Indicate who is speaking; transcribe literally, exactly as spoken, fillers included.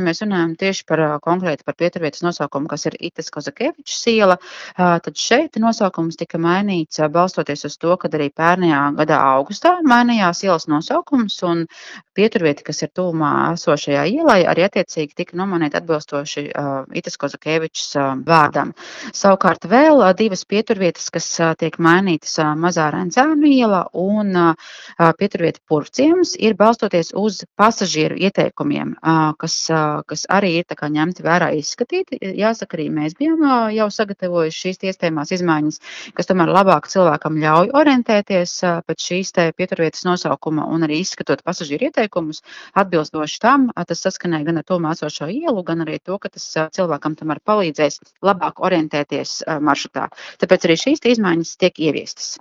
Speaker 1: Mēs runājam tieši par ā, konkrēti par pieturvietas nosaukumu, kas ir Itas Kozakevičas iela. Ā, tad šeit nosaukums tika mainīts, ā, balstoties uz to, kad arī pērnajā gadā augustā mainījās ielas nosaukums, un pieturvieta, kas ir tuvumā esošajai ielai, arī attiecīgi tika nomainīta atbilstoši ā, Itas Kozakevičas ā, vārdam. Savukārt vēl ā, divas pieturvietas, kas ā, tiek mainītas, ā, Mazā Rencēnu iela un ā, ā, pieturvieta Purvciems, ir balstoties uz pasažieru ieteikumiem, ā, kas, ā, kas arī ir tā kā ņemti vērā, izskatīti. Jāsaka, arī mēs bijām ā, jau sagatavojuši šīs iespējamās izmaiņas, kas tomēr labāk cilvēkam ļauj orientēties ā, pēc šīs te pieturvietas nosaukuma un arī izskatot pasažieru ieteikumus atbilstoši tam, ā, tas saskanēja gan ar tuvumā esošo ielu, gan arī to, ka tas ā, cilvēkam tomēr palīdzēs labāk orientēties ā, maršrutā. Tāpēc arī šīs te izmaiņas tiek ieviestas.